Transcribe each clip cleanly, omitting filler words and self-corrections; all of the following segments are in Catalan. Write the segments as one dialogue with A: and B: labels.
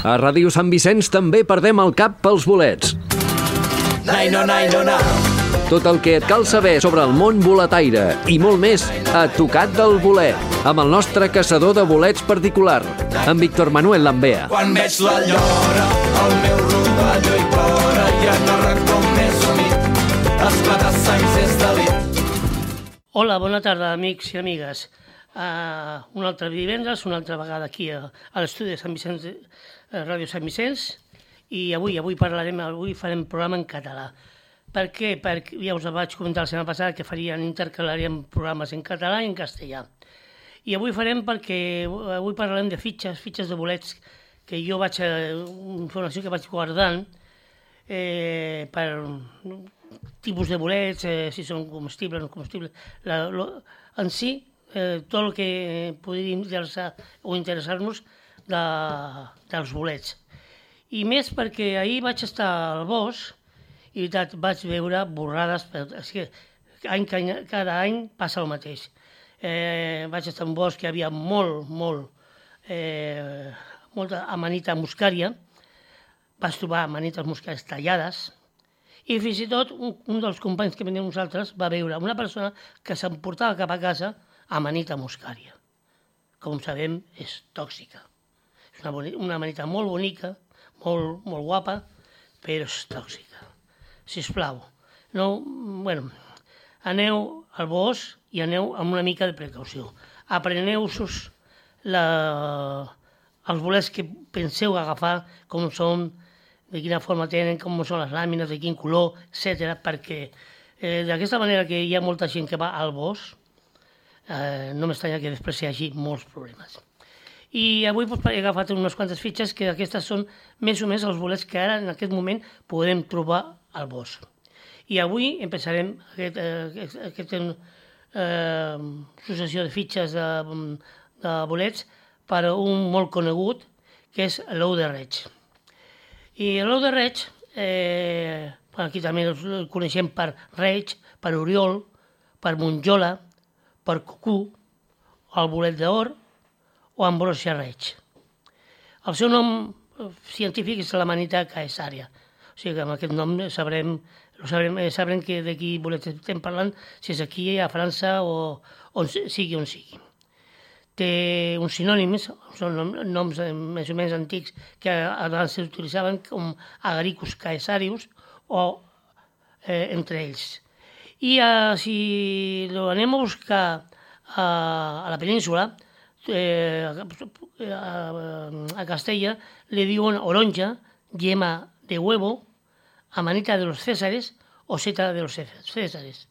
A: A Ràdio Sant Vicenç també perdem el cap pels bolets. Tot el que et cal saber sobre el món boletaire i molt més a Tocat del Bolet, amb el nostre caçador de bolets particular, en Víctor Manuel Lambea.
B: Quan veig la llora, el meu rovelló hi plora i en el racó més humit, esclata sangs és delit.
C: Hola, bona tarda, amics i amigues. Un altre divendres, una altra vegada aquí a l'estudi de Sant Vicenç, Ràdio Sant Vicenç, i avui farem programa en català. Per què? Perquè ja us vaig comentar la setmana passada que intercalaríem programes en català i en castellà. I avui farem perquè avui parlarem de fitxes de bolets, que jo informació que vaig guardant per tipus de bolets, si són comestibles o no comestibles. En si, tot el que podria interessar-nos dels bolets. I més perquè ahir vaig estar al bosc i vaig veure borrades. És que cada any passa el mateix. Vaig estar en un bosc que hi havia molta amanita muscària. Vaig trobar amanites muscàries tallades. I fins i tot un dels companys que veníem nosaltres va veure una persona que s'emportava cap a casa amanita muscària. Com sabem, és tòxica. És una amanita molt bonica, molt guapa, però és tòxica. Sisplau, aneu al bosc i aneu amb una mica de precaució. Apreneu-vos els bolets que penseu agafar, com són, de quina forma tenen, com són les làmines, de quin color, etc. Perquè d'aquesta manera que hi ha molta gent que va al bosc, no m'estranya que després hi hagi molts problemes. I avui he agafat unes quantes fitxes que aquestes són més o menys els bolets que ara en aquest moment podem trobar al bosc. I avui empezarem aquesta successió de fitxes de bolets per un molt conegut, que és l'ou de reig. I l'ou de reig, aquí també el coneixem per reig, per oriol, per monjola, per cucú, el bolet d'or o ambrosia reig. El seu nom científic és l'amanita caesarea. O sigui que amb aquest nom sabrem de quin bolet estem parlant, si és aquí, a França o on sigui. Té uns sinònims, són noms més o menys antics que abans s'utilitzaven com agaricus caesarius o entre ells. I si l'anem a buscar a la península, a Castella le diuen oronja, yema de huevo, amanita de los Césares o seta de los Césares.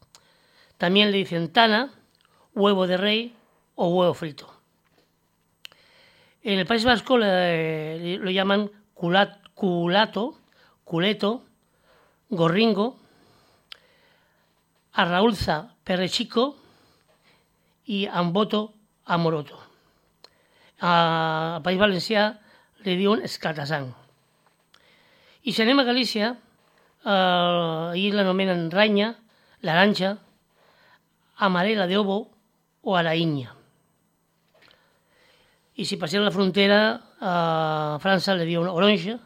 C: También le dicen tana, huevo de rey o huevo frito. En el País Vasco lo llaman culeto, gorringo, arraulza perrechico y amboto amoroto. Al País Valencià li diuen esclatasang. I si anem a Galícia, ahir l'anomenen ranya, laranja, amarela de ovo o araïnya. I si passem la frontera, a França li diuen oronja,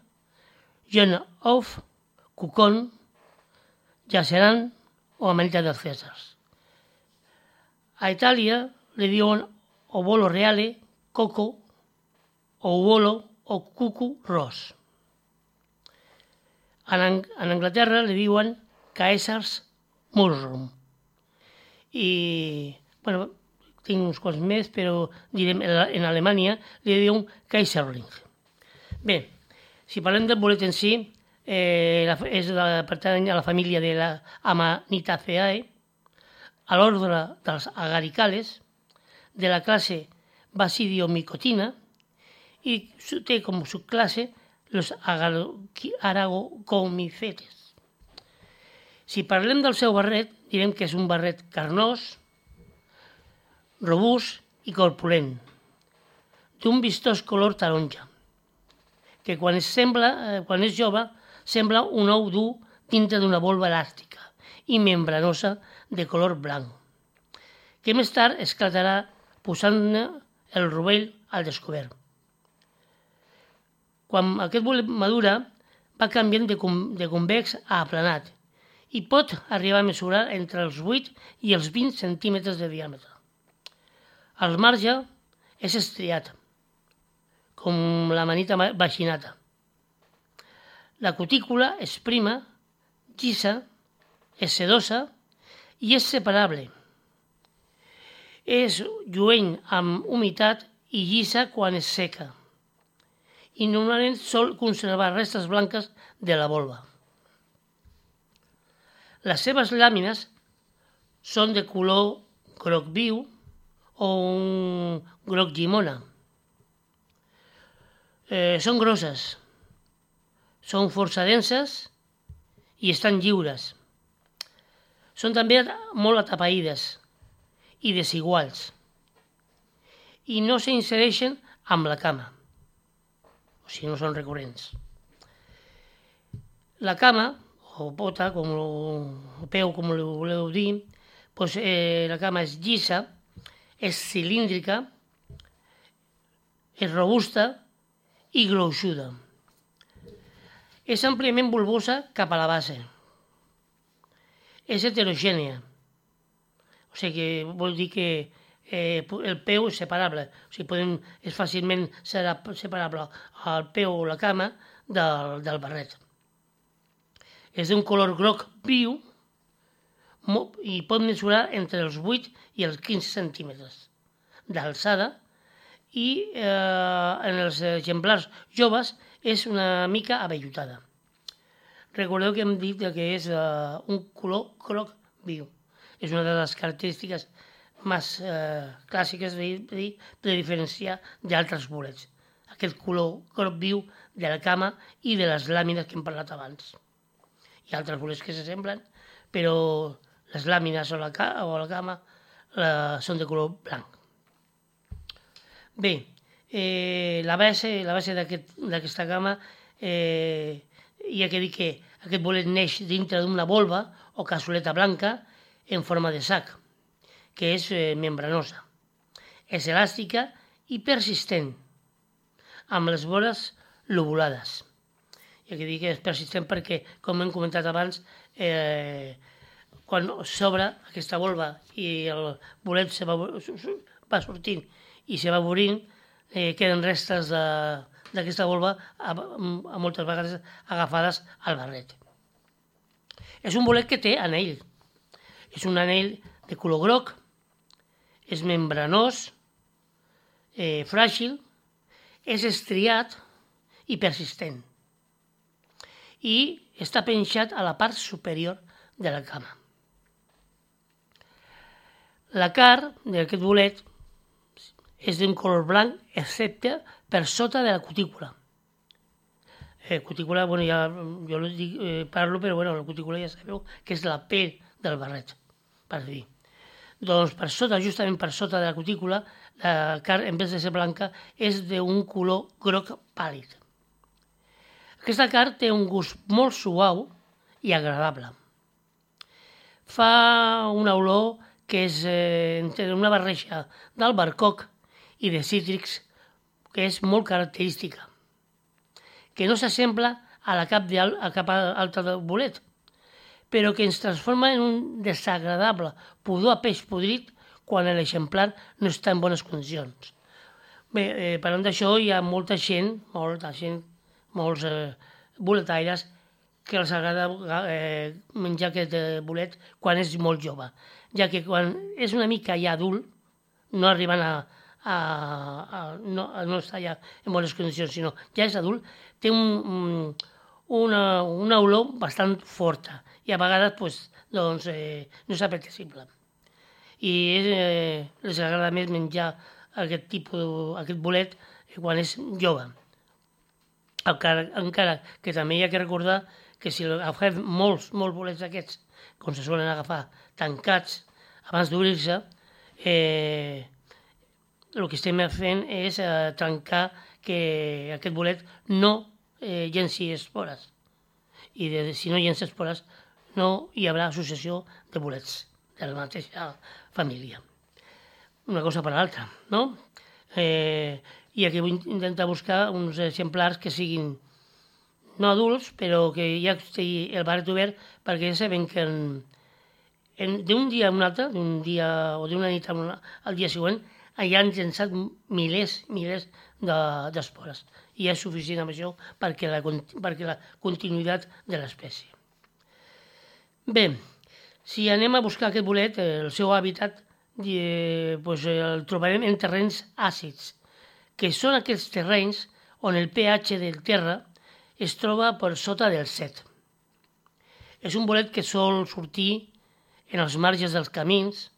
C: jaune of, cucon, jaceran o amanita dels Cèsars. A Itàlia li diuen obolo reale, coco, o uolo o cucu ros. En Anglaterra li diuen Caesar's mushroom. I, tinc uns quants més, però direm en Alemanya li diuen Kaiserling. Bé, si parlem del bolet en si, pertany a la família de la Amanitaceae, a l'ordre dels agaricales, de la classe Basidiomicotina, i té com subclasse los aragomicetes. Si parlem del seu barret, direm que és un barret carnós, robust i corpulent, d'un vistós color taronja, que quan és jove sembla un ou dur dintre d'una volva elàstica i membranosa de color blanc, que més tard esclatarà posant-ne el rovell al descobert. Quan aquest bolet madura, va canviant de convex a aplanat i pot arribar a mesurar entre els 8 i els 20 centímetres de diàmetre. El marge és estriat, com la manita vaginata. La cutícula és prima, llisa, és sedosa i és separable. És lluent amb humitat i llisa quan és seca. I normalment sol conservar restes blanques de la volva. Les seves làmines són de color groc viu o un groc llimona. Són grosses, són força denses i estan lliures. Són també molt atapeïdes i desiguals i no s'insereixen amb la cama, o sigui, no són recurrents. La cama, o pota, o peu, com ho voleu dir, doncs, la cama és llisa, és cilíndrica, és robusta i gruixuda. És àmpliament bulbosa cap a la base. És heterogènia, o sigui que vol dir que el peu és separable, o sigui, és fàcilment separable el peu o la cama del barret. És d'un color groc viu i pot mesurar entre els 8 i els 15 centímetres d'alçada i en els exemplars joves és una mica avellutada. Recordeu que hem dit que és un color groc viu. És una de les característiques més clàssiques de diferenciar d'altres bolets. Aquest color groc viu de la cama i de les làmines que hem parlat abans. Hi ha altres bolets que s'assemblen, però les làmines o la cama són de color blanc. Bé, la base d'aquesta cama hi ha que dir que aquest bolet neix dintre d'una volva o cassoleta blanca en forma de sac, que és membranosa. És elàstica i persistent, amb les vores lobulades. Hi ha que dir que és persistent perquè, com hem comentat abans, quan s'obre aquesta volva i el bolet va sortint i se va obrint, queden restes d'aquesta volva moltes vegades agafades al barret. És un bolet que té anell. És un anell de color groc, és membranós, fràgil, és estriat i persistent. I està penjat a la part superior de la cama. La carn d'aquest bolet és d'un color blanc, excepte per sota de la cutícula. Cutícula, bueno, ja jo parlo, però bueno, la cutícula ja sabeu que és la pell del barret, per dir. Doncs per sota, justament per sota de la cutícula, la carn, en vez de ser blanca, és d'un color groc pàl·lid. Aquesta carn té un gust molt suau i agradable. Fa una olor que és entre una barreja d'albercoc i de cítrics que és molt característica, que no s'assembla a la cap altra del bolet, però que ens transforma en un desagradable pudor a peix podrit quan l'exemplar no està en bones condicions. Bé, parlant d'això, hi ha molta gent, molts boletaires, que els agrada menjar aquest bolet quan és molt jove, ja que quan és una mica ja adult, no arribant no està ja en bones condicions, sinó ja és adult, té una olor bastant forta i a vegades no és apetecible. I les agrada més menjar aquest bolet quan és jove. Encara que també hi ha que recordar que si agafem molts bolets d'aquests, com se solen agafar tancats abans d'obrir-se, el que estem fent és trencar que aquest bolet no llenci espores. I si no llença espores, no hi haurà associació de bolets de la mateixa família. Una cosa per l'altra, no? i aquí vull intentar buscar uns exemplars que siguin no adults, però que ja estigui el barret obert, perquè ja sabem que d'un dia a un altre, d'un dia o d'una nit al dia següent, ja han llençat milers d'espores. I és suficient amb això perquè la continuïtat de l'espècie. Bé, si anem a buscar aquest bolet, el seu hàbitat el trobarem en terrenys àcids, que són aquests terrenys on el pH del terra es troba per sota del 7. És un bolet que sol sortir en els marges dels camins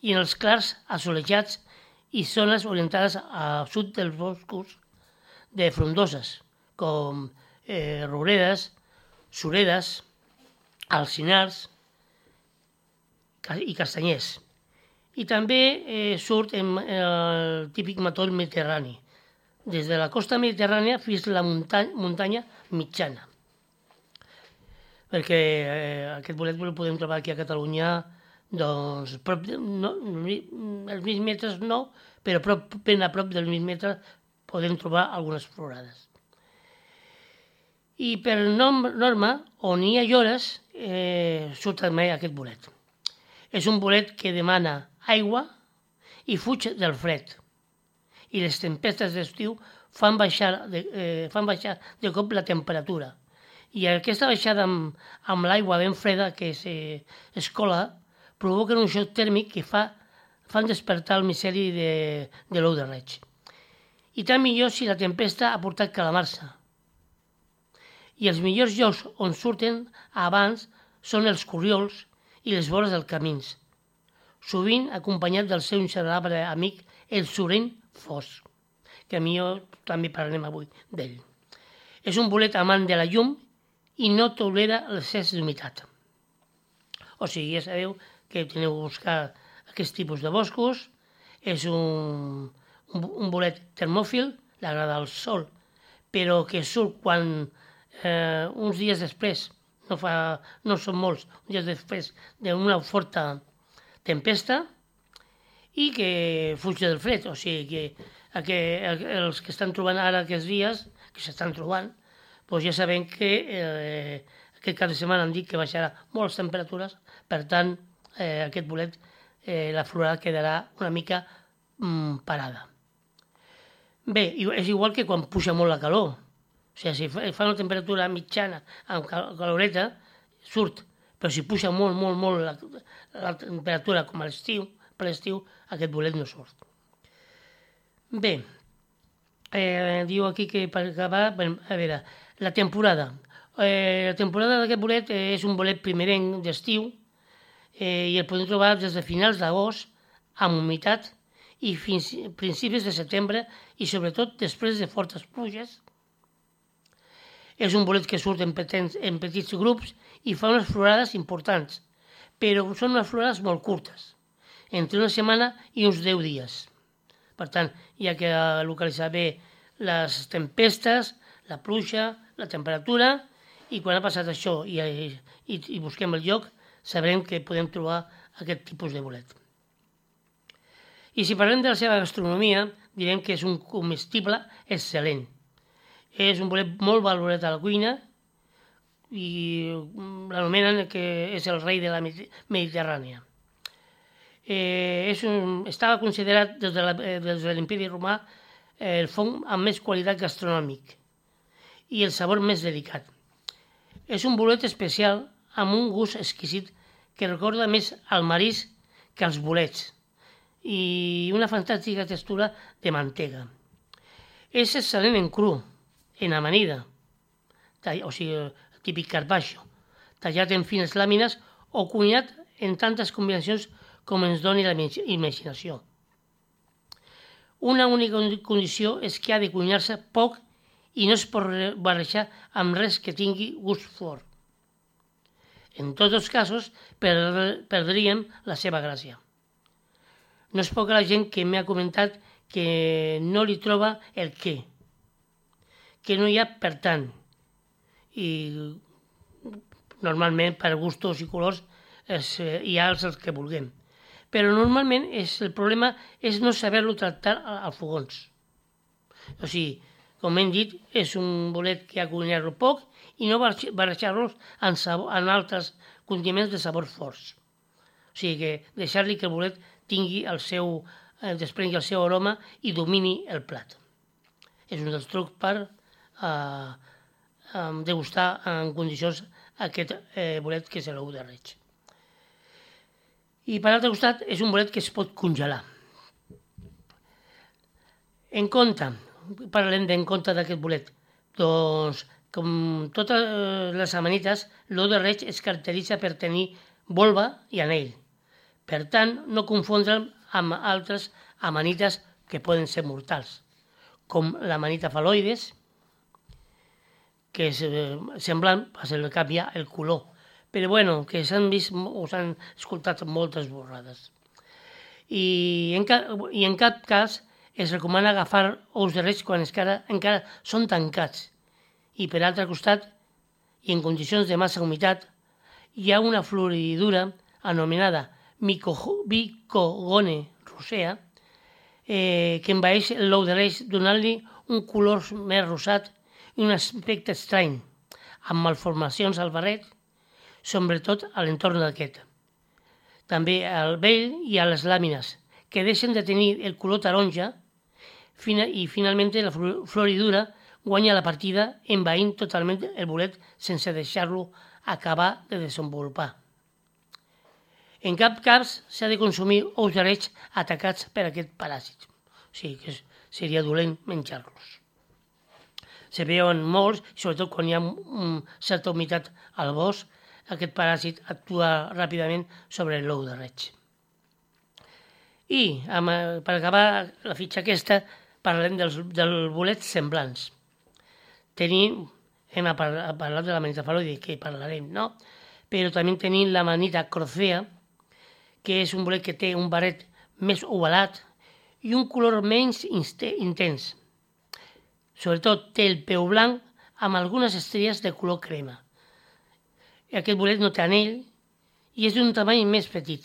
C: i en els clars assolellats i zones orientades al sud dels boscos de frondoses, com rouredes, suredes, alzinars i castanyers. I també surt en el típic matol mediterrani, des de la costa mediterrània fins a la muntanya mitjana. Perquè aquest bolet el podem trobar aquí a Catalunya, doncs, els 1.000 metres no, però ben a prop dels 1.000 metres podem trobar algunes florades. I per norma, on hi ha llores, surt també aquest bolet. És un bolet que demana aigua i fuig del fred. I les tempestes d'estiu fan baixar de cop la temperatura. I aquesta baixada amb l'aigua ben freda que es cola provoquen un xoc tèrmic que fan despertar el miceli de l'ou de reig. I tant millor si la tempesta ha portat calamar-se. I els millors llocs on surten abans són els corriols i les vores dels camins, sovint acompanyat del seu inseparable amic, el sorell fos, que a mi també parlarem avui d'ell. És un bolet amant de la llum i no tolera l'excés d'humitat. O sigui, ja sabeu que teniu que buscar aquest tipus de boscos. És un bolet termòfil, li agrada el sol, però que surt quan uns dies després, no són molts, uns dies després d'una forta tempesta, i que fuig del fred. O sigui que els que estan trobant ara aquests dies, que s'estan trobant, doncs ja sabem que aquest cap de setmana han dit que baixarà molt les temperatures, per tant, aquest bolet, la florada quedarà una mica parada. Bé, és igual que quan puja molt la calor. O sigui, si fa una temperatura mitjana amb caloreta, surt. Però si puja molt la temperatura com a l'estiu, per l'estiu, aquest bolet no surt. Bé, diu aquí que per acabar, a veure, la temporada. La temporada d'aquest bolet és un bolet primerenc d'estiu i el podem trobar des de finals d'agost amb humitat i fins a principis de setembre i sobretot després de fortes pluges. És un bolet que surt en petits grups i fa unes florades importants, però són unes florades molt curtes, entre una setmana i uns 10 dies. Per tant, hi ha que localitzar bé les tempestes, la pluja, la temperatura, i quan ha passat això i busquem el lloc, sabrem que podem trobar aquest tipus de bolet. I si parlem de la seva gastronomia, direm que és un comestible excel·lent. És un bolet molt valorat a la cuina i l'anomenen que és el rei de la Mediterrània. Estava considerat des de l'Imperi Romà el fong amb més qualitat gastronòmic i el sabor més delicat. És un bolet especial amb un gust exquisit que recorda més al marisc que als bolets i una fantàstica textura de mantega. És excel·lent en cru, en amanida, o sigui, el típic carpaccio, tallat en fines làmines o cuinat en tantes combinacions com ens doni la imaginació. Una única condició és que ha de cuinar-se poc i no es pot barrejar amb res que tingui gust fort. En tots els casos, perdríem la seva gràcia. No és poca la gent que m'ha comentat que no li troba el què, que no hi ha per tant. I normalment per gustos i colors hi ha els que vulguem. Però normalment el problema és no saber-lo tractar als fogons. O sigui, com hem dit, és un bolet que ha cuinar-lo poc i no barrejar-los en altres condiments de sabors forts. O sigui que deixar-li que el bolet tingui desprengui el seu aroma i domini el plat. És un dels trucs per degustar en condicions aquest bolet que és l'ou de reig. I per l'altre costat és un bolet que es pot congelar. En compte, parlem d'en compte d'aquest bolet. Doncs, com totes les amanites, l'ou de reig es caracteritza per tenir volva i anell. Per tant, no confondre'l amb altres amanites que poden ser mortals, com l'amanita faloides, que és semblant, se li canvia el color. Però bueno, que s'han vist o s'han escoltat moltes borrades. I en cap cas es recomana agafar ous de reig quan encara són tancats. I per altre costat, i en condicions de massa humitat, hi ha una floridura anomenada Mycogone rosea que envaeix l'ou de reig donant-li un color més rosat i un aspecte estrany, amb malformacions al barret, sobretot a l'entorn d'aquest. També al vell i a les làmines, que deixen de tenir el color taronja i finalment la floridura guanya la partida envaint totalment el bolet sense deixar-lo acabar de desenvolupar. En cap cas s'ha de consumir ous de reig atacats per aquest paràsit. O sigui que seria dolent menjar-los. Se veuen molts, sobretot quan hi ha certa humitat al bosc, aquest paràsit actua ràpidament sobre l'ou de reig. I per acabar la fitxa aquesta parlem dels bolets semblants. Hem parlat de l'amanita faloide, que parlarem, no? Però també tenim l'amanita crocea, que és un bolet que té un barret més ovalat i un color menys intens. Sobretot té el peu blanc amb algunes estrelles de color crema. Aquest bolet no té anell i és d'un tamany més petit.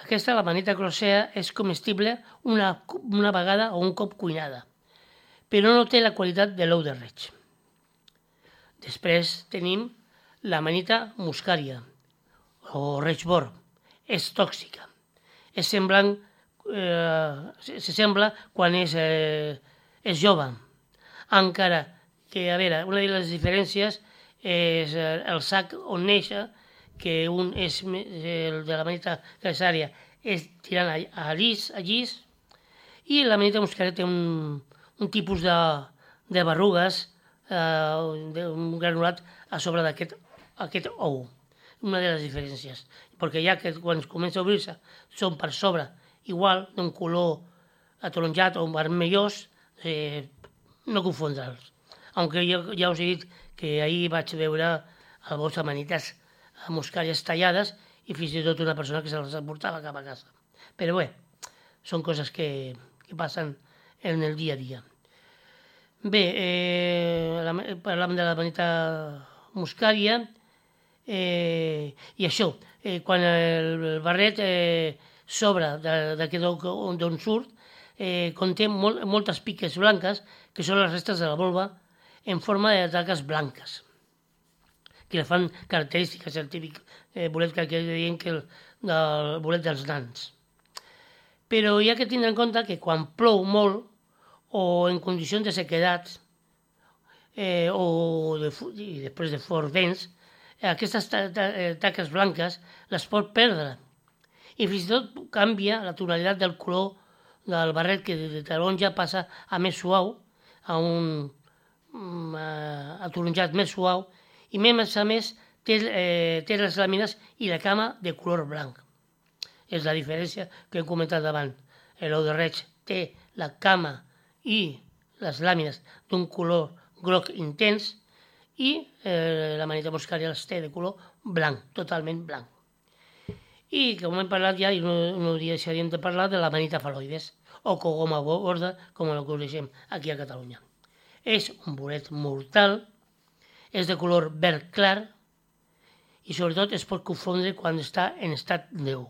C: Aquesta, l'amanita crocea, és comestible una vegada o un cop cuinada, però no té la qualitat de l'ou de reig. Després tenim l'amanita muscària o reig-bord. És tòxica. S'assembla quan és jove. Encara que, a veure, una de les diferències és el sac on néixer, que un és el de l'amanita cesària, és tirant a llis, i l'amanita muscària té un tipus de berrugues, un granulat a sobre d'aquest ou. Una de les diferències. Perquè ja que quan comença a obrir-se són per sobre igual d'un color ataronjat o vermellós, no confondre'ls. Aunque ja us he dit que ahir vaig veure al bosc amanites muscàries tallades i fins i tot una persona que se les portava cap a casa. Però bé, són coses que passen en el dia a dia. Bé, parlàvem de l'amanita muscària i això, quan el barret s'obre d'on surt, conté moltes piques blanques, que són les restes de la volva, en forma de taques blanques, que la fan característiques, el típic bolet que diem que el bolet dels nans. Però hi ha que tindre en compte que quan plou molt, o en condicions de sequedat, i després de forts vents, aquestes taques blanques les pot perdre. I fins i tot canvia la tonalitat del color del barret, que de taronja passa a més suau, a un ataronjat més suau, i a més té les làmines i la cama de color blanc. És la diferència que hem comentat abans. L'ou de reig té la cama i les làmines d'un color groc intens i l'amanita muscària les té de color blanc, totalment blanc. I com hem parlat ja, i no deixaríem de parlar de l'amanita faloides, o cogoma borda, com la coneixem aquí a Catalunya. És un bolet mortal, és de color verd clar i sobretot es pot confondre quan està en estat d'ou.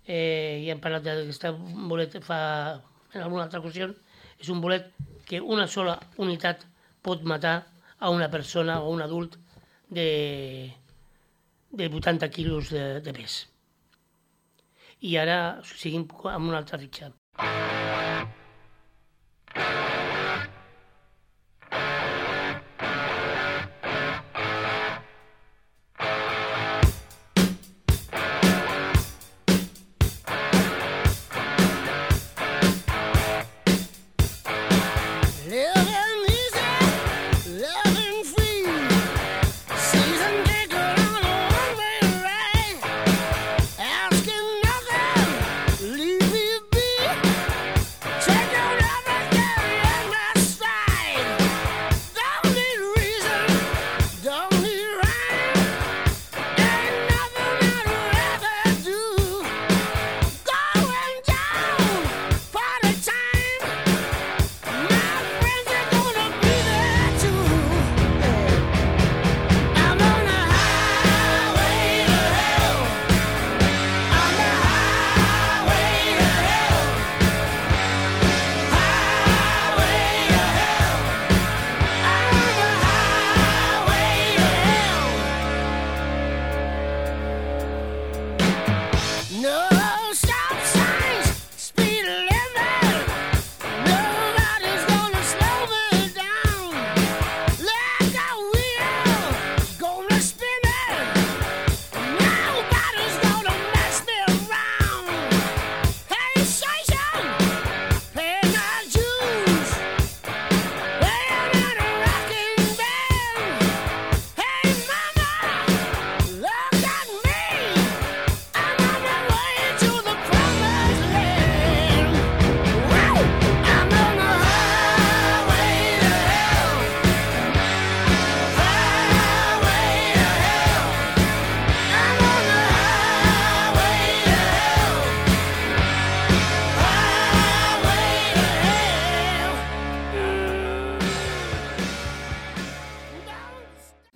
C: Ja hem parlat d'aquest bolet en alguna altra ocasió És un bolet que una sola unitat pot matar a una persona o un adult de 80 quilos de pes. I ara seguim amb una altra fitxa.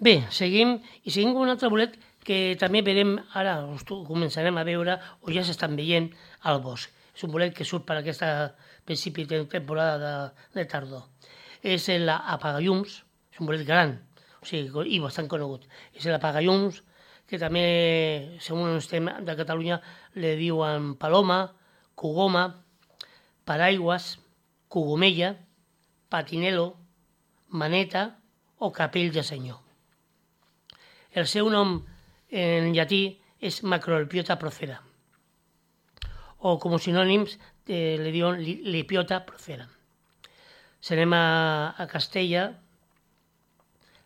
C: Bé, seguim amb un altre bolet que també veurem, ara començarem a veure, o ja s'estan veient, al bosc. És un bolet que surt per aquesta principi de temporada de tardor. És l'apagallums, és un bolet gran, o sigui, i bastant conegut. És l'apagallums, que també, segons el estem de Catalunya, li diuen paloma, cogoma, paraigües, cogomella, patinelo, maneta o capell de senyor. El seu nom en llatí és Macrolepiota procera, o com a sinònims li diuen Lepiota procera. Si anem a Castella,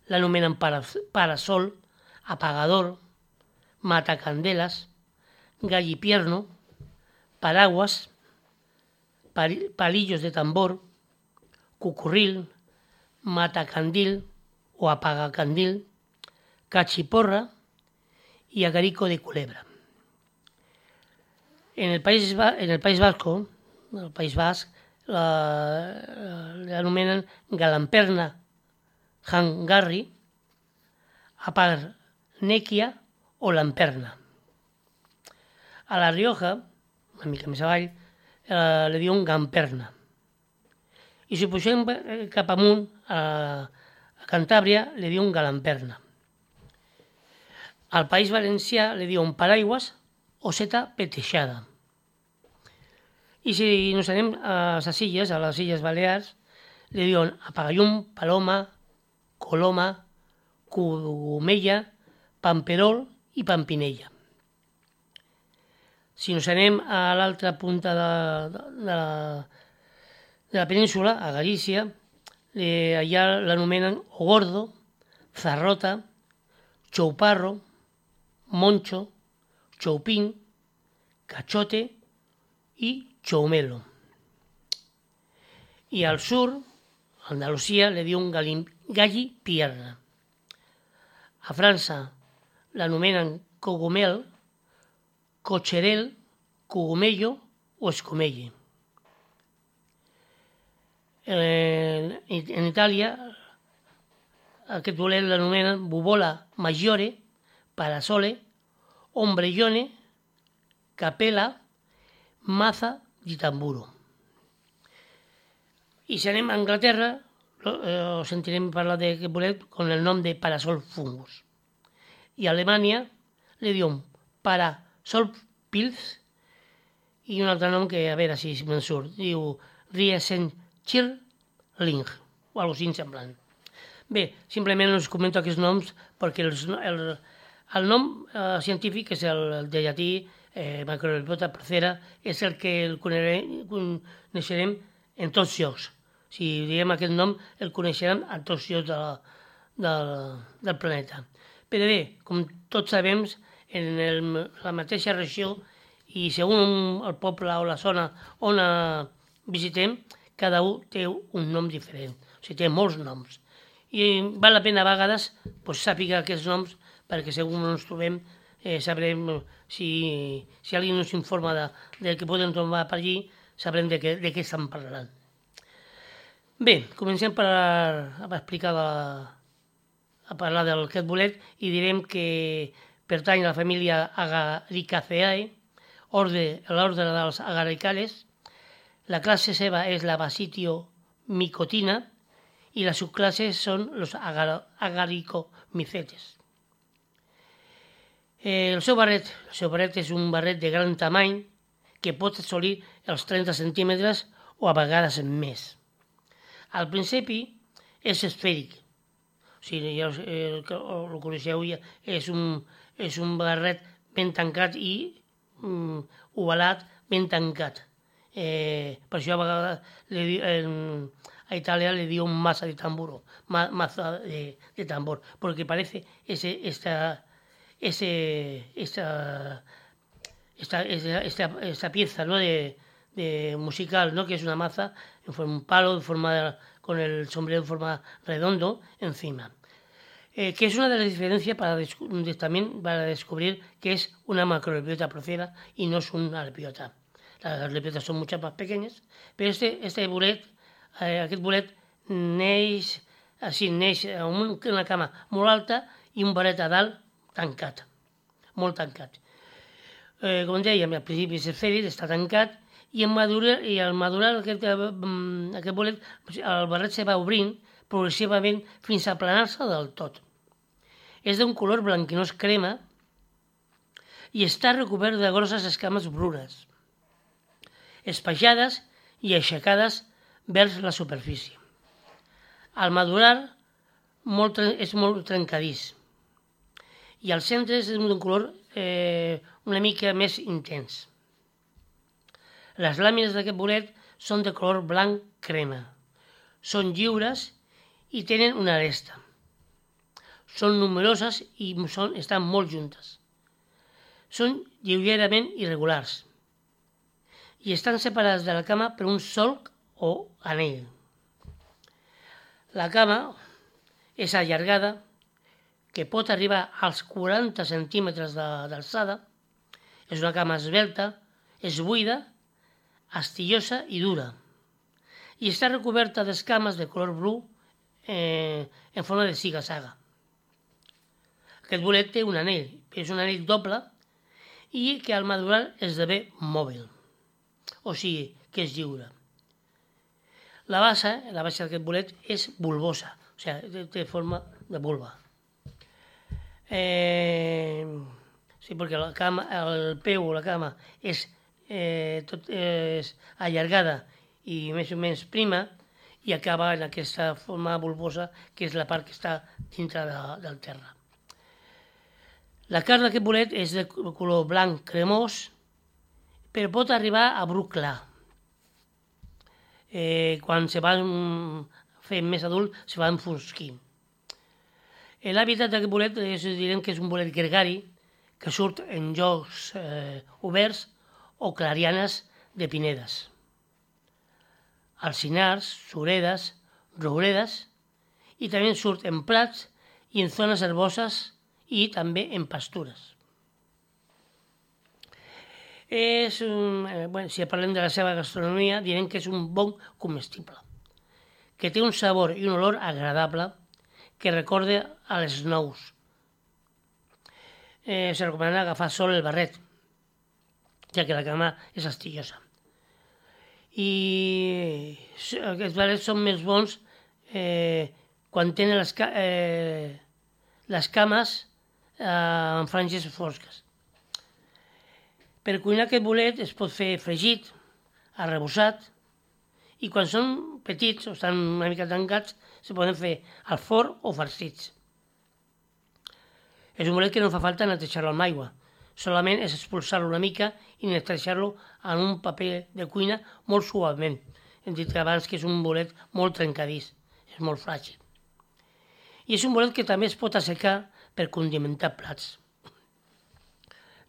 C: l'anomenen parasol, apagador, matacandelas, gallipierno, paraguas, palillos de tambor, cucurril, matacandil o apagacandil, cachiporra y agarico de culebra. En el País Vasco, el País Basc, l'anomenen galamperna hangarri, aparnèquia o lamperna. A La Rioja, una mica més avall, li diuen gamperna. I si pugem cap amunt, a Cantàbria, li diuen galamperna. Al País Valencià li diuen paraigües o seta peteixada. I si ens anem a les Illes Balears, li diuen apagallum, paloma, coloma, cogomella, pamperol i pampinella. Si ens anem a l'altra punta de la península, a Galícia, allà l'anomenen ogordo, zarrota, chouparro, moncho, choupín, cachote i choumelo. I al sur, a Andalusia, li diuen gallipierna. A França l'anomenen cogomel, cocherel, cogomello o escomelle. En Itàlia aquest bolet l'anomenen bubola maggiore, parasole, ombrellone, capella, maza di tamburo. I si anem a Anglaterra, sentirem parlar d'aquest bolet con el nom de Parasol Fungus. I a Alemanya li diuen Parasol Pilz i un altre nom que, a veure si me'n surt, diu Riesenschirling o alguna cosa semblant. Bé, simplement us comento aquests noms perquè el nom científic és el de llatí Macrobiota procera, és el que el coneixerem en tots llocs. Si diem aquest nom, el coneixerem a tots llocs del planeta. Però bé, com tots sabem, en la mateixa regió i segons el poble o la zona on visitem, cada un té un nom diferent, o sigui, té molts noms. I val la pena a vegades sàpiga aquests noms perquè segons ens trobem sabrem si algú ens informa del que podem trobar per allí, sabrem de què estan parlant. Bé, comencem a explicar a parlar d'aquest bolet i direm que pertany a la família Agaricaceae, l'ordre dels agaricales. La classe seva és la Basitiomicotina i les subclasses són els agaricomicetes. El seu barret és un barret de gran tamany que pot assolir els 30 centímetres o a vegades més. Al principi és esfèric, o sigui, ja ho coneixeu, és un barret ben tancat i ovalat, ben tancat. Per això a vegades a Itàlia le diuen masa de tambor, maza de tambor, porque parece esta pieza, ¿no? de musical, ¿no? Que es una maza en forma un palo con el sombrero en forma redondo encima. Que es una de las diferencias también para descubrir que es una macrolepiota procera y no es una lepiota. Las lepiotas son mucho más pequeñas, pero aquest bolet neix amb una cama molt alta i un barret a dalt tancat, molt tancat. Com dèiem, al principi és esfèric, està tancat, i al madurar aquest bolet, el barret se va obrint progressivament fins a aplanar-se del tot. És d'un color blanquinós crema i està recobert de grosses escames brunes, espaiades i aixecades vers la superfície. Al madurar és molt trencadís i al centre és d'un color una mica més intens. Les làmines d'aquest bolet són de color blanc crema, són lliures i tenen una aresta. Són numeroses i estan molt juntes. Són lleugerament irregulars i estan separades de la cama per un solc o anell. La cama és allargada, que pot arribar als 40 centímetres d'alçada. És una cama esvelta, és buida, astillosa i dura, i està recoberta d'escames de color bru en forma de ziga-zaga. Aquest bolet té un anell, és un anell doble i que al madurar esdevé mòbil, o sigui que és lliure. La base d'aquest bolet és bulbosa, o sigui, té forma de vulva. Sí, perquè el peu o la cama és allargada i més o menys prima i acaba en aquesta forma bulbosa que és la part que està dintre del terra. La carn d'aquest bolet és de color blanc cremós, però pot arribar a bru clar. Quan se van fent més adult, se va enfosquint. L'hàbitat d'aquest bolet direm que és un bolet gregari que surt en llocs oberts o clarianes de pinedes, alzinars, suredes, rouredes, i també surt en prats i en zones herboses i també en pastures. Si parlem de la seva gastronomia, direm que és un bon comestible, que té un sabor i un olor agradable que recorda a les nous. Se recomana agafar sol el barret, ja que la cama és astillosa. I aquests bolets són més bons quan tenen les cames en franges fosques. Per cuinar aquest bolet es pot fer fregit, arrebossat, i quan són petits o estan una mica tancats se poden fer al forn o farcits. És un bolet que no fa falta netejar-lo amb aigua, solament és expulsar-lo una mica i netejar-lo en un paper de cuina molt suaument. Hem dit abans que és un bolet molt trencadís, és molt fràgil. I és un bolet que també es pot assecar per condimentar plats.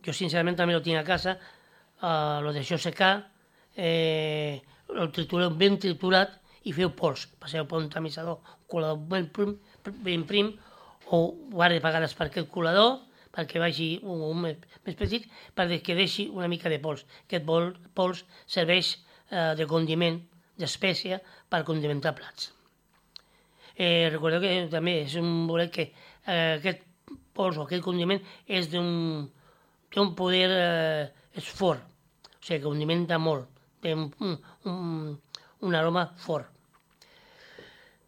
C: Jo sincerament també lo tinc a casa, lo deixo secar, el tritureu ben triturat i feu pols. Passeu per un tamisador, un colador ben prim, o guarda pagades per aquest colador, perquè vagi un més petit, perquè deixi una mica de pols. Aquest pols serveix de condiment, d'espècia, per condimentar plats. Recordeu que també és un bolet que aquest pols o aquest condiment és té un poder, és fort, o sigui que condimenta molt, té un aroma fort.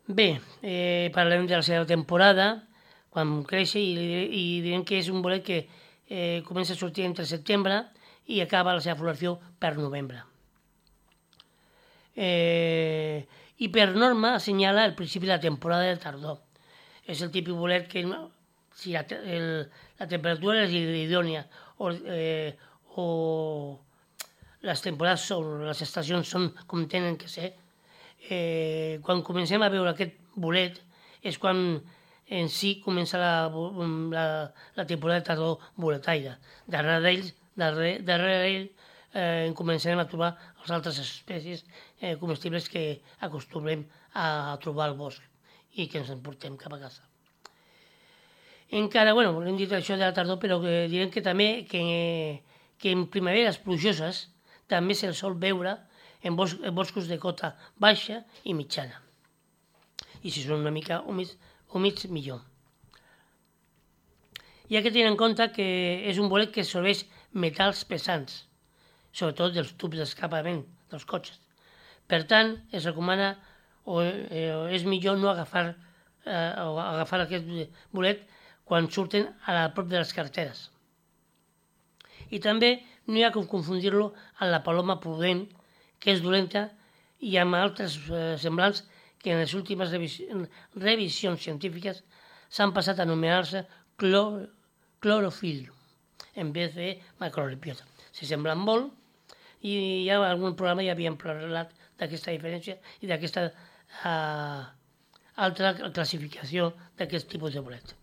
C: Bé, parlem de la seva temporada, quan creix, i direm que és un bolet que comença a sortir entre setembre i acaba la seva floració per novembre. I per norma assenyala el principi de la temporada de tardor. És el típic bolet que si la temperatura és idònia o les temporades o les estacions són com tenen que ser, quan comencem a veure aquest bolet és quan en si comença la temporada de tardor boletaire. Darrere ell començarem a trobar les altres espècies comestibles que acostumem a trobar al bosc i que ens emportem cap a casa. Encara, hem dit això de la tardor, però direm que també que en primaveres plujoses també se'l sol veure en boscos de cota baixa i mitjana. I si són una mica humits, millor. Hi ha que tenir en compte que és un bolet que absorbeix metalls pesants, sobretot dels tubs d'escapament dels cotxes. Per tant, es recomana o és millor no agafar aquest bolet quan surten a prop de les carreteres. I també no hi ha que confundir-lo amb la paloma prudent, que és dolenta, i amb altres semblants que en les últimes revisions científiques s'han passat a anomenar-se clorofil en vez de macrolepiota. Se semblen molt i ja en algun programa ja havíem parlat d'aquesta diferència i d'aquesta altra classificació d'aquest tipus de bolet.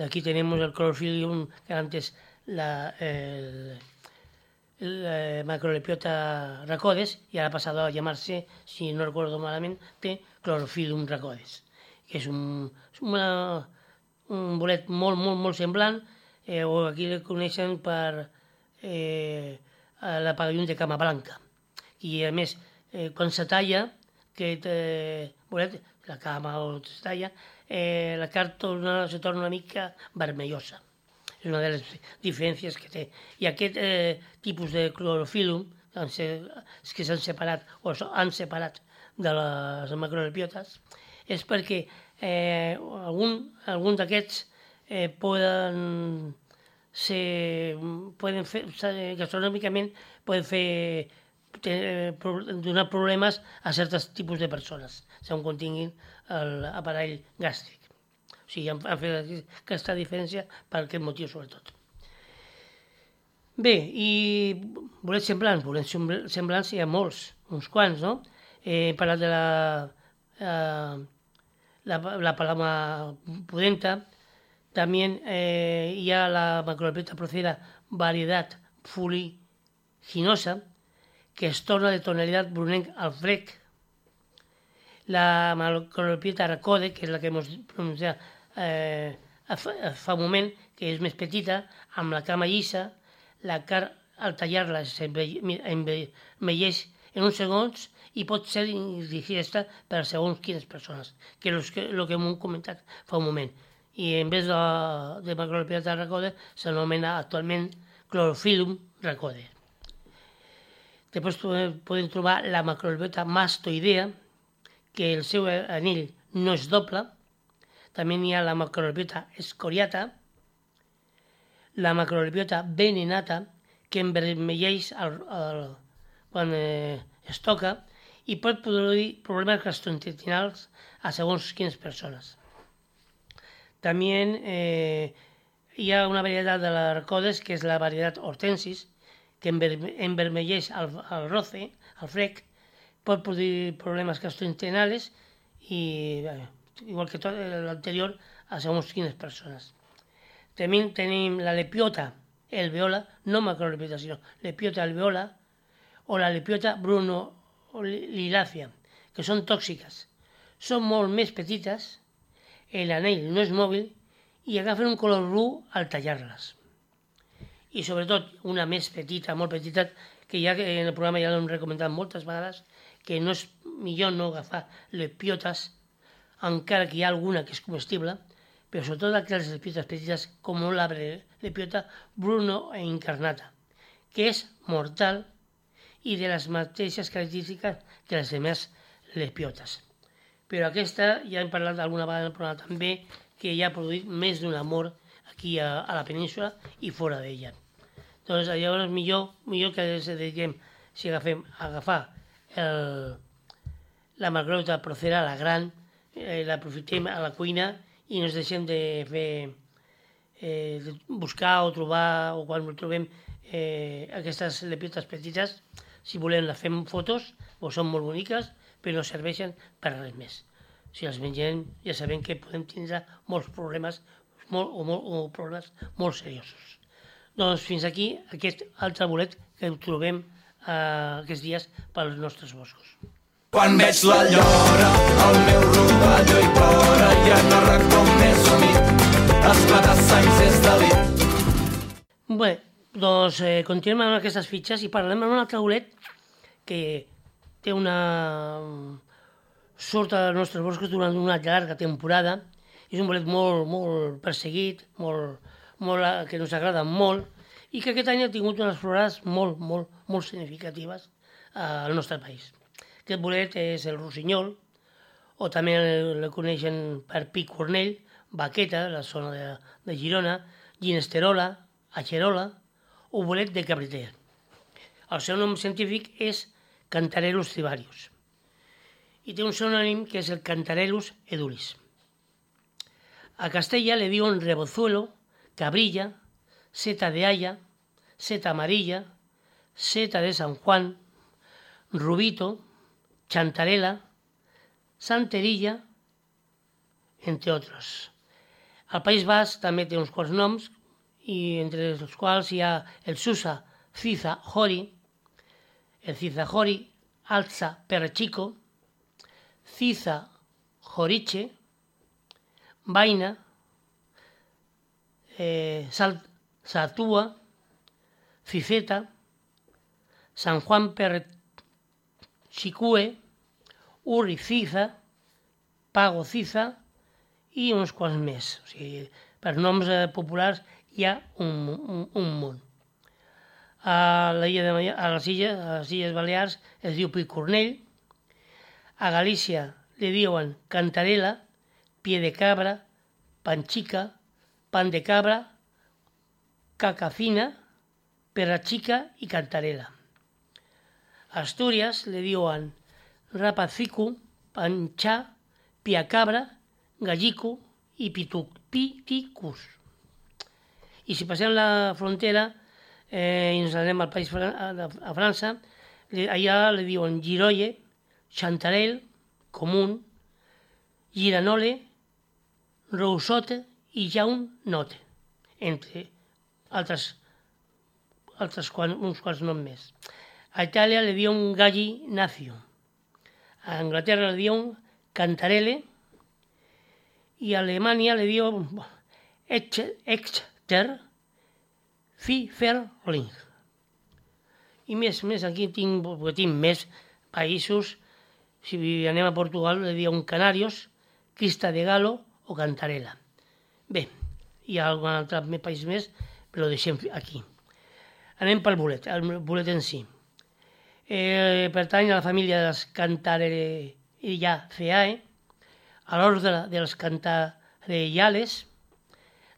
C: Aquí tenemos el clorofilium, que antes el macrolepiota racodes, y ahora ha pasado a llamarse, si no recuerdo malamente, clorofilium racodes, que és un bolet molt semblant, o aquí el coneixen per la pavillon de cama blanca. I a més, quan se talla aquest bolet, la cama o se talla, la carn se torna una mica vermellosa. És una de les diferències que té. I aquest tipus de clorofilum, que s'han separat o han separat de les macrolepiotes, és perquè algun d'aquests poden fer, gastronòmicament, donar problemes a certs tipus de persones, segons continguin l'aparell gàstric. O sigui, han fet aquesta diferència per aquest motiu, sobretot. Bé, i bolets semblants hi ha molts, uns quants, no? He parlat de la paloma pudenta, també hi ha la macrolepiota procera variedad fuliginosa, que es torna de tonalitat brunenc al frec. La macrolepiota racode, que és la que hem pronunciat fa un moment, que és més petita, amb la cama llisa, la carn al tallar-la s'envelleix en uns segons i pot ser indigesta per segons quines persones, que és el que hem comentat fa un moment. I en vez de macrolepiota racode s'anomena actualment clorofilum racode. Després podem trobar la macrolepiota mastoidea, que el seu anell no és doble. També hi ha la macrolepiota escoriata, la macrolepiota venenata, que envermelleix quan es toca i pot produir problemes gastrointestinals a segons quines persones. També hi ha una varietat de l'arcodes, que és la varietat hortensis, que envermelleix el roce, el frec, pot produir problemes gastrointestinals i, igual que tot l'anterior, a segons quines persones. També tenim la lepiota alveola, no macrolepiota, sinó lepiota alveola, o la lepiota brunolilàcia, que són tòxiques. Són molt més petites, l'anell no és mòbil i agafen un color bru al tallar-les. I sobretot una més petita, molt petita, que ja en el programa ja l'hem recomandat moltes vegades, que no és millor no agafar lepiotes, encara que hi ha alguna que és comestible, però sobretot aquelles lepiotes petites com la lepiota bruno-incarnata, que és mortal i de les mateixes característiques que les demés lepiotes. Però aquesta, ja hem parlat alguna vegada en el programa també, que ja ha produït més d'una mort aquí a la península i fora d'ella. Doncs llavors millor que ens dediquem, si agafar la macrolepiota procera, la gran, l'aprofitem a la cuina i no ens deixem de buscar o trobar, o quan trobem aquestes lepiotes petites, si volem les fem fotos, o són molt boniques, però no serveixen per res més. Si les mengem ja sabem que podem tindre molts problemes o problemes molt seriosos. Doncs fins aquí aquest altre bolet que trobem aquests dies pels nostres boscos.
B: Quan veig la llora, el meu rovelló hi plora i en el racó més humit esclata sangs és delit.
C: Bé, doncs continuem amb aquestes fitxes i parlem amb un altre bolet que té surt als nostres boscos durant una llarga temporada. És un bolet molt perseguit, que ens agrada molt i que aquest any ha tingut unes florades molt significatives al nostre país. Aquest bolet és el rossinyol, o també el coneixen per pi cornell, baqueta, la zona de Girona, ginesterola, axerola o bolet de cabriter. El seu nom científic és Cantarellus cibarius i té un sinònim que és el Cantarellus edulis. A Castella le diuen rebozuelo, cabrilla, seta de haya, seta amarilla, seta de San Juan, rubito, chantarela, santerilla, entre otros. Al País Basc també té uns quants noms, i entre els quals hi ha el Susa Ciza Jori, el Ciza Jori Alza Perrechico, Ciza Joriche, Vaina, Satua, Ciceta, San Juan Perrechicue, Urri Ciza, Pago Ciza i uns quants més. O sigui, per noms populars hi ha un munt. A les Illes Balears es diu picornell, a Galícia li diuen cantarela, pie de cabra, panchica, pan de cabra, caca fina, perrachica i cantarela. A Astúries li diuen rapacicu, panxà, pia cabra, gallico i piticus. I si passem la frontera i ens anem al país a França, allà li diuen girolle, chantarelle, común, giranole, rousote i jaunote, entre uns quants noms més. A Itàlia li diuen gallinacio, a Anglaterra li diuen cantarelle i a Alemanya li diuen Exter Pfifferling. I més aquí tinc més països. Si anem a Portugal li diuen canarios, crista de galo o cantarela. Bé, hi ha algun altre país més, però ho deixem aquí. Anem pel bolet, el bolet en si. Pertany a la família de les Cantarellariaceae, a l'ordre dels Cantarellales,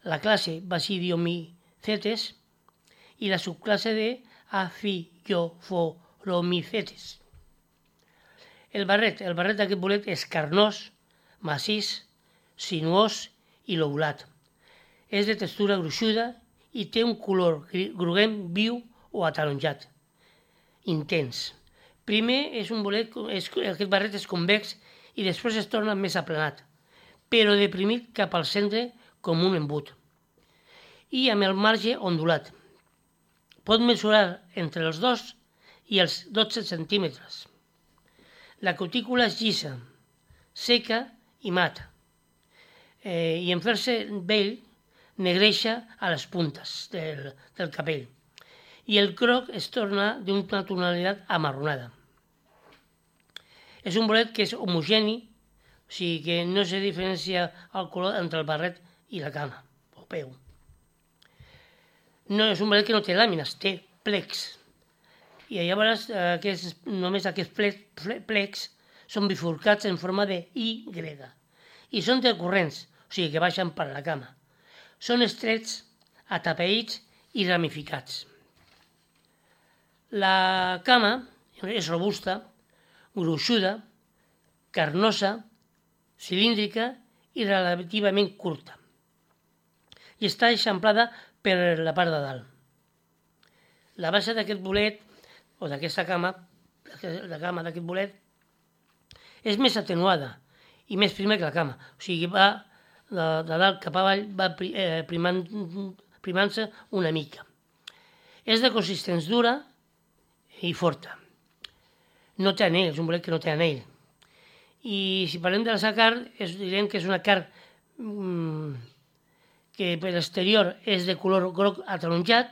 C: la classe Basidiomycetes i la subclasse de Aphyllophoronymycetes. El barret d'aquest bolet és carnós, massís, sinuós i lobulat. És de textura gruixuda i té un color groguenc viu o ataronjat, intens. Primer és un bolet, aquest barret és convex i després es torna més aplanat, però deprimit cap al centre com un embut i amb el marge ondulat. Pot mesurar entre els 2 i els 12 centímetres. La cutícula és llisa, seca i mata, i en fer-se vell negreixa a les puntes del capell i el groc es torna d'una tonalitat amarronada. És un bolet que és homogeni, o sigui que no se diferencia el color entre el barret i la cama o peu. No, és un bolet que no té làmines, té plecs. I llavors només aquests plecs són bifurcats en forma de Y i són decurrents, o sigui que baixen per la cama. Són estrets, atapeïts i ramificats. La cama és robusta, gruixuda, carnosa, cilíndrica i relativament curta. I està eixamplada per la part de dalt. La base d'aquest bolet, o d'aquesta cama, la cama d'aquest bolet, és més atenuada i més prima que la cama. O sigui, va de dalt cap avall, va primant-se una mica. És de consistència dura i forta. No té anell, és un bolet que no té anell. I si parlem de la seva carn, direm que és una carn que per l'exterior és de color groc ataronjat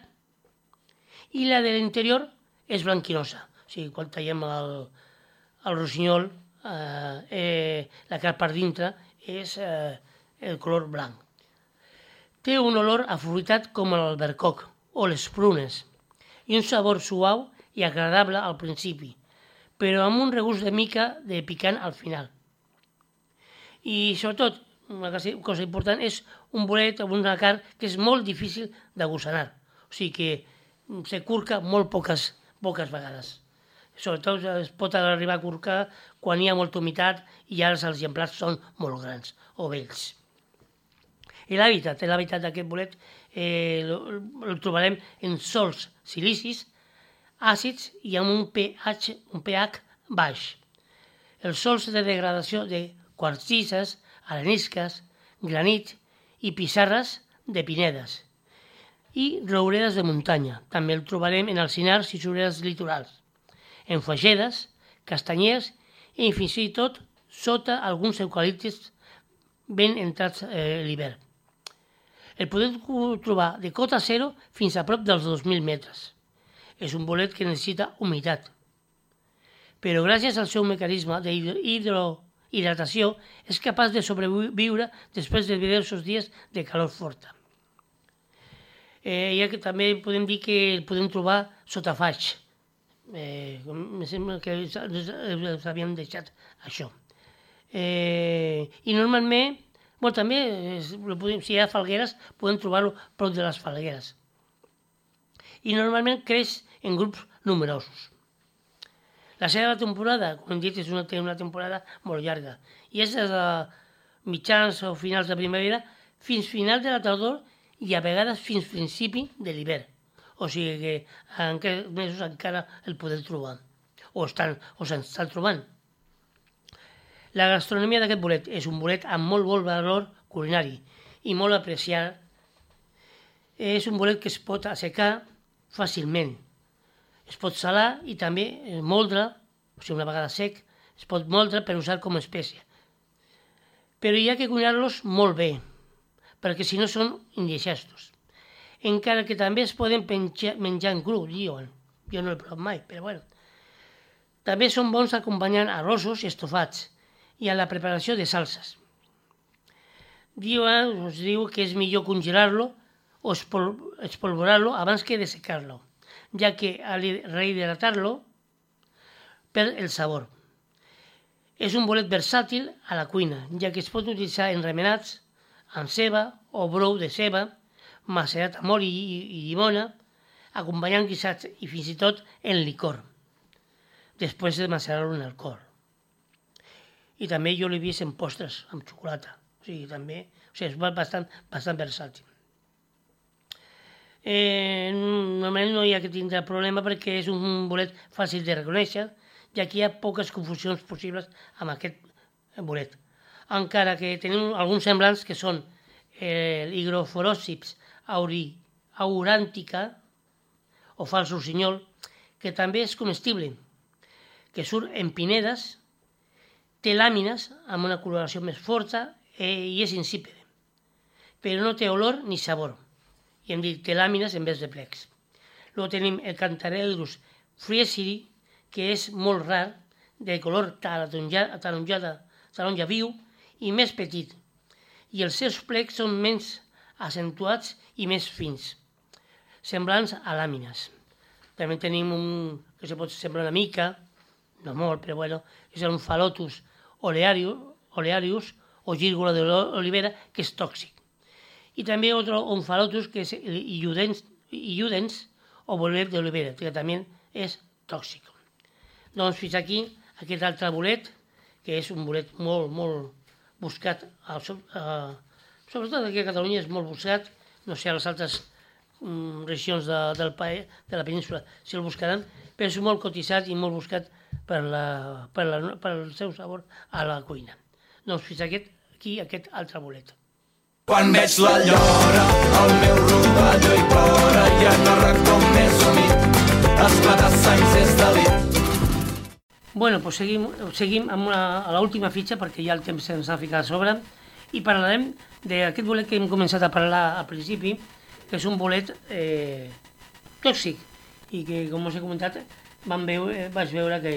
C: i la de l'interior és blanquinosa. O sigui, quan tallem el rossinyol, la carn per dintre és el color blanc. Té un olor afruitat com l'albercoc o les prunes i un sabor suau i agradable al principi, però amb un regust de mica de picant al final. I sobretot, una cosa important, és un bolet amb una carn que és molt difícil de gossanar, o sigui que se curca molt poques vegades. Sobretot es pot arribar a curcar quan hi ha molta humitat i ara els exemplars són molt grans o vells. I l'hàbitat d'aquest bolet el trobarem en sòls silicis, àcids i amb un pH baix. Els sòls de degradació de quartzises, arenisques, granit i pissarres de pinedes i rouredes de muntanya. També el trobarem en alzinars i sureres litorals, en fagedes, castanyers i fins i tot sota alguns eucaliptes ben entrats l'hivern. El podem trobar de cota zero fins a prop dels 2.000 metres. És un bolet que necessita humitat, però gràcies al seu mecanisme d'hidrohidratació és capaç de sobreviure després de diversos dies de calor forta. Ja que també podem dir que el podem trobar sota faig. Em sembla que els havíem deixat això. I normalment, també, si hi ha falgueres, podem trobar-lo prop de les falgueres. I normalment creix en grups numerosos. La seva temporada, com hem dit, és una temporada molt llarga i és des de mitjans o finals de primavera fins final de la tardor i a vegades fins principi de l'hivern. O sigui que en aquests mesos encara el podem trobar o s'estan trobant. La gastronomia d'aquest bolet és un bolet amb molt bon valor culinari i molt apreciat. És un bolet que es pot assecar fàcilment. Es pot salar i també moldre, o sigui, una vegada sec, es pot moldre per usar com a espècie. Però hi ha que cuinar-los molt bé, perquè si no són indigestos. Encara que també es poden menjar en cru, diuen. Jo no he provat mai, però bueno. També són bons acompanyant arrossos i estofats i a la preparació de salses. Us diu que és millor congelar-lo o espolvorar-lo abans que dessecar-lo, ja que al rehidratar-lo per el sabor. És un bolet versàtil a la cuina, ja que es pot utilitzar en remenats, amb ceba o brou de ceba, macerat amb oli i llimona, acompanyant guisats i fins i tot en licor, després de macerar-lo en alcohol. I també jo l'he vist en postres, amb xocolata. O sigui, és bastant versàtil. Normalment no hi ha que tindre problema perquè és un bolet fàcil de reconèixer, ja que hi ha poques confusions possibles amb aquest bolet. Encara que tenim alguns semblants que són l'Hygrophorosips aurantica o fals rossinyol, que també és comestible, que surt en pinedes, té làmines amb una coloració més forta i és insípida, però no té olor ni sabor. I hem dit té làmines en vez de plecs. Luego tenim el Cantarellus friesiri, que és molt rar, de color taronja viu i més petit, i els seus plecs són menys accentuats i més fins, semblants a làmines. També tenim un que se pot semblar una mica, no molt, però bueno, és un Phalotus olearius o gírgola d'olivera, que és tòxic. I també un Phalotus que és iudens o bolet d'olivera, que també és tòxic. Doncs fins aquí aquest altre bolet, que és un bolet molt, molt buscat, sobretot aquí a Catalunya és molt buscat, no sé, a les altres regions de la península si el buscaran, però és molt cotitzat i molt buscat per el seu sabor a la cuina. Doncs fins aquí aquest altre bolet.
B: Quan veig la llora, el meu rovelló hi plora i en el racó més humit esclatar sangs és delit.
C: Bueno, doncs seguim amb a l'última fitxa perquè ja el temps se'ns ha ficat a sobre i parlarem d'aquest bolet que hem començat a parlar al principi, que és un bolet tòxic i que, com us he comentat, vaig veure que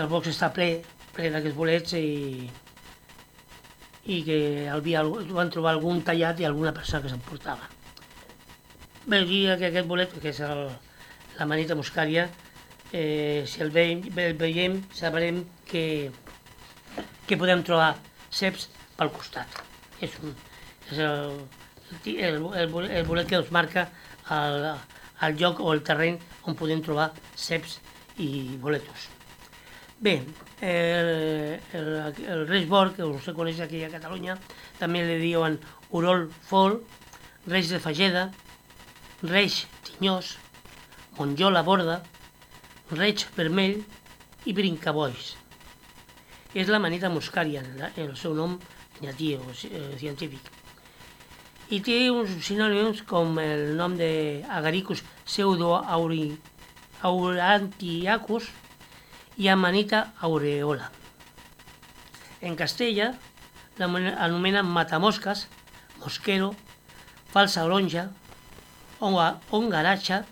C: el box està ple d'aquests bolets i que van trobar algun tallat i alguna persona que s'emportava. Bé, diria que aquest bolet, que és la Amanita muscaria, si el veiem sabrem que podem trobar ceps pel costat. És el bolet que ens marca el lloc o el terreny on podem trobar ceps i boletos. Bé, el reix bord, que us coneix aquí a Catalunya, també li diuen urol fol, reix de fageda, reix tinyós, monjola borda, reig vermell i brincaboix. És la Amanita muscaria, el seu nom llatí o científic. I té uns sinònims com el nom d'Agaricus pseudoaurantiacus i Amanita aureola. En Castella l'anomenen matamosques, mosquero, falsa oronja, ongaracha,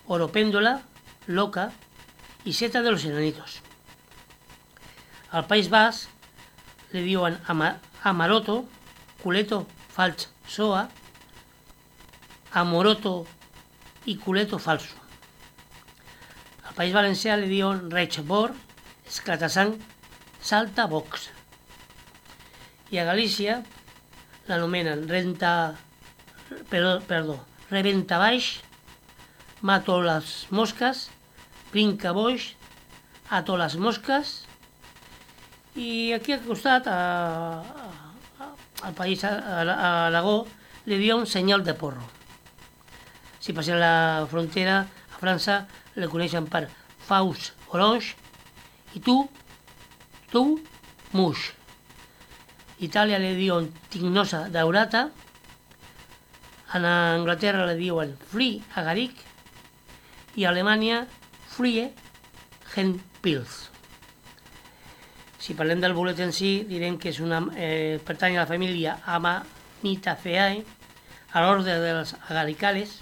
C: oropéndola, loca i seta de los enanitos. Al País Basc li diuen amaroto, culeto falç soa, amoroto i culeto falso. Al País Valencià li diuen reig bord, esclatasang, salta box. I a Galícia l'anomenen reventabaix, mato les mosques, brincaboix, ato les mosques, i aquí al costat, al país, a Aragó, li diuen senyal de porro. Si passem la frontera, a França la coneixen per faus orange i tu muix. Itàlia li diuen tignosa daurata, a Anglaterra li diuen flea agaric i a Alemanya flie henpils. Si parlem del bolet en si, direm que pertany a la família Amanitaceae, a l'ordre de les agaricales,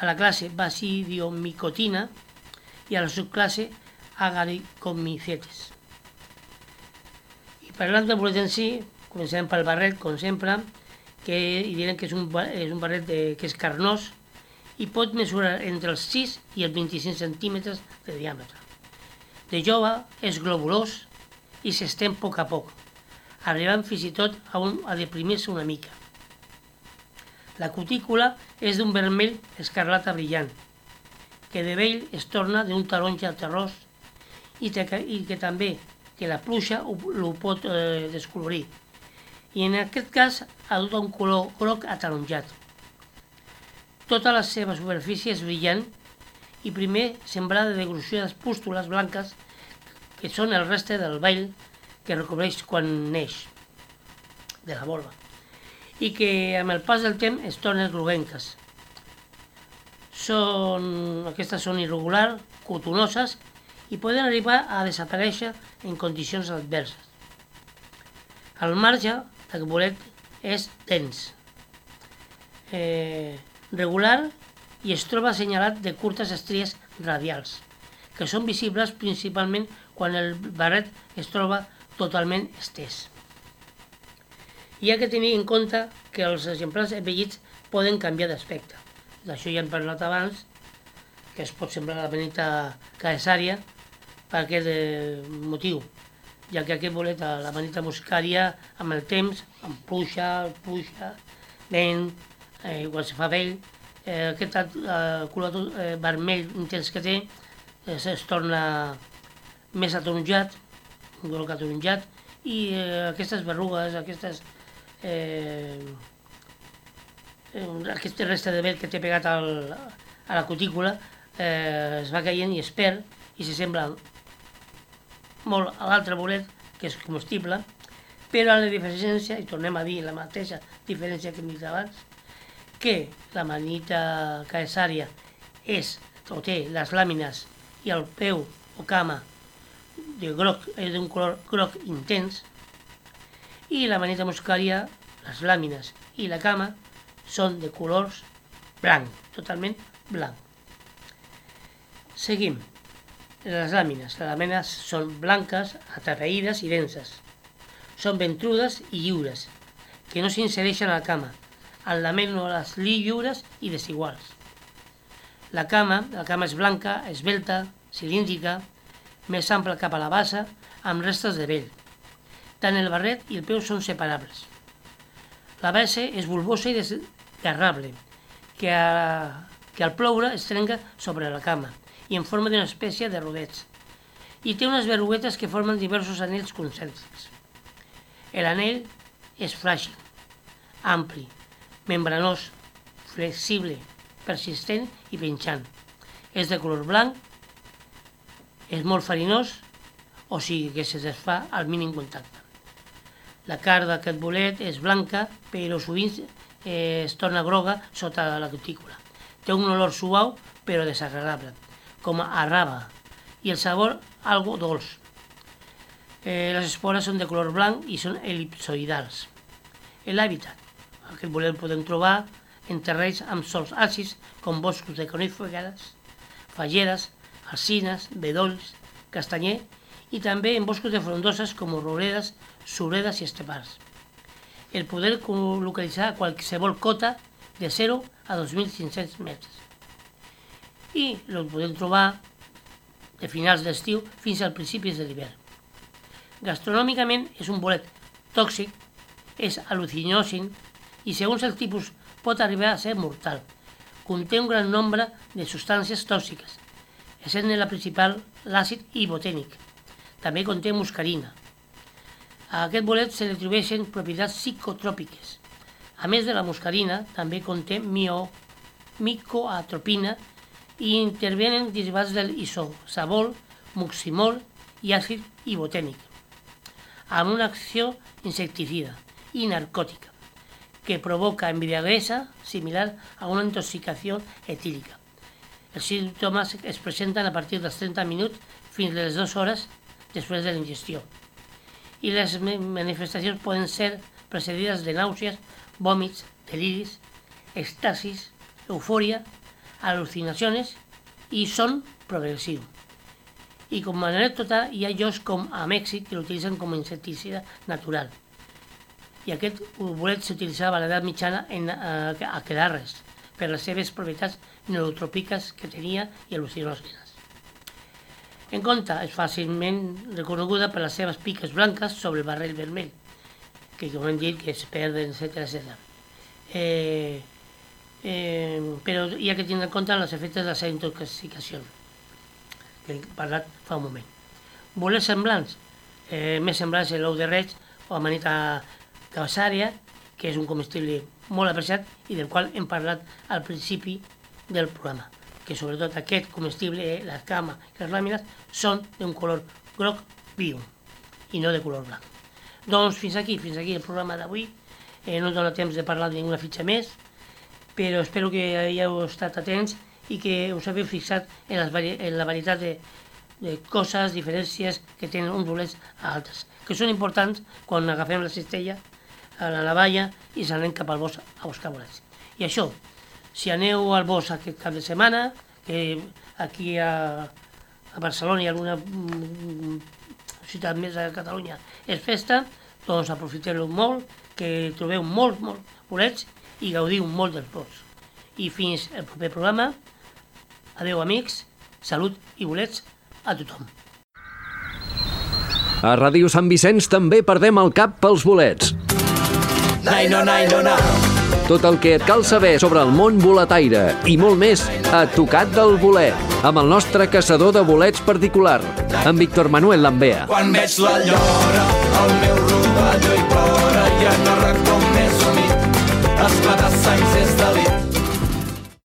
C: a la classe Basidiomicotina i a la subclasse Agaricomycetes. I parlant del bolet en si, començarem pel barret, com sempre, i direm que és un barret que és carnós i pot mesurar entre els 6 i els 25 centímetres de diàmetre. De jove és globulós i s'estén a poc, arribant fins i tot a deprimir-se una mica. La cutícula és d'un vermell escarlata brillant, que de vell es torna d'un taronja terrós i que també que la pluja ho pot descolorir. I en aquest cas adopta un color groc ataronjat. Tota la seva superfície és brillant i primer sembrada de gruixudes pústules blanques que són el restre del vell que recobreix quan neix de la volva i que amb el pas del temps es tornen groguenques. Aquestes són irregulars, cotonoses i poden arribar a desaparèixer en condicions adverses. El marge del bolet és dens, regular i es troba assenyalat de curtes estries radials, que són visibles principalment quan el barret es troba totalment estès. Hi ha que tenir en compte que els exemplars envellits poden canviar d'aspecte. D'això ja hem parlat abans, que es pot semblar la manita caesària per aquest motiu, ja que aquest bolet, la manita muscària, amb el temps, amb pluja, vent, quan se fa vell, aquest color vermell intens que té es torna més ataronjat, un groc ataronjat, i aquestes berrugues, aquest restre de vell que té pegat a la cutícula es va caient i es perd i s'assembla molt a l'altre bolet, que és comestible, però la diferència, i tornem a dir la mateixa diferència que hem dit abans, que la manita caesària té les làmines i el peu o cama d'un color groc intens, i la manita muscària, les làmines i la cama són de colors blanc, totalment blanc. Seguim. Les làmines són blanques, atapeïdes i denses. Són ventrudes i lliures, que no s'insereixen a la cama, al lamèl·lules lliures i desiguals. La cama és blanca, esvelta, cilíndrica, més ampla cap a la base, amb restes de vell. Tant el barret i el peu són separables. La base és bulbosa i desgarrable, que al ploure es trenca sobre la cama i en forma d'una espècie de rodets. I té unes berruguetes que formen diversos anells concèntrics. L'anell és fràgil, ampli, membranós, flexible, persistent i penjant. És de color blanc, és molt farinós, o sigui que se desfà al mínim contacte. La carn d'aquest bolet és blanca, però sovint es torna groga sota la cutícula. Té un olor suau, però desagradable, com a raba, i el sabor algo dolç. Les espores són de color blanc i són elipsoidals. L'hàbitat. Aquest bolet el podem trobar en terrenys amb sòls àcids com boscos de coníferes, fagedes, alzines, bedolls, castanyer i també en boscos de frondoses com rouredes, suredes i estepars. El poder localitzar a qualsevol cota de 0 a 2.500 metres. I el podem trobar de finals d'estiu fins al principis de l'hivern. Gastronòmicament és un bolet tòxic, és al·lucinogen i segons el tipus pot arribar a ser mortal. Conté un gran nombre de substàncies tòxiques, essent la principal l'àcid ibotènic. També conté muscarina. A aquest bolet se li atribueixen propietats psicotròpiques. A més de la muscarina, també conté micoatropina i intervenen derivats del isosabol, mucimol i àcid ibotènic, amb una acció insecticida i narcòtica que provoca embriaguesa similar a una intoxicació etílica. Els símptomes es presenten a partir dels 30 minuts fins a les 2 hores després de la ingestió. I les manifestacions poden ser precedides de nàusees, vòmits, deliris, èxtasis, eufòria, al·lucinacions i són progressius. I com a anècdota hi ha llocs com a Mèxic que l'utilitzen com a insecticida natural. I aquest bolet s'utilitzava a l'edat mitjana en aquelarres per les seves propietats neurotrópiques que tenia i al·lucinògenes. En compte, és fàcilment reconeguda per les seves piques blanques sobre el barrell vermell, que com hem dit que es perden, etc. Però hi ha que tenir en compte els efectes de la seva intoxicació, que he parlat fa un moment. Bolets semblants, més semblants a l'ou de reig o amanita cabassària, que és un comestible molt apreciat i del qual hem parlat al principi del programa, que sobretot aquest comestible, l'escama i les làmines, són d'un color groc viu i no de color blanc. Doncs fins aquí el programa d'avui. No dona temps de parlar de ninguna fitxa més, però espero que hayeu estat atents i que us hagueu fixat en la varietat de coses, diferències que tenen uns bolets a altres, que són importants quan agafem la cistella a la navalla i s'anem cap al bosc a buscar bolets. I això, si aneu al bosc aquest cap de setmana, que aquí a Barcelona i alguna ciutat més de Catalunya és festa, doncs aprofiteu-lo molt, que trobeu molts bolets i gaudiu molt dels boscs. I fins el proper programa, adeu amics, salut i bolets a tothom.
A: A Ràdio Sant Vicenç també perdem el cap pels bolets. Tot el que et cal saber sobre el món boletaire i molt més a Tocat del Bolet, amb el nostre caçador de bolets particular, en Víctor Manuel Lambea.
B: Quan veig la llora, el meu rovelló hi plora i en el racó més humit, esclatar sangs és delit.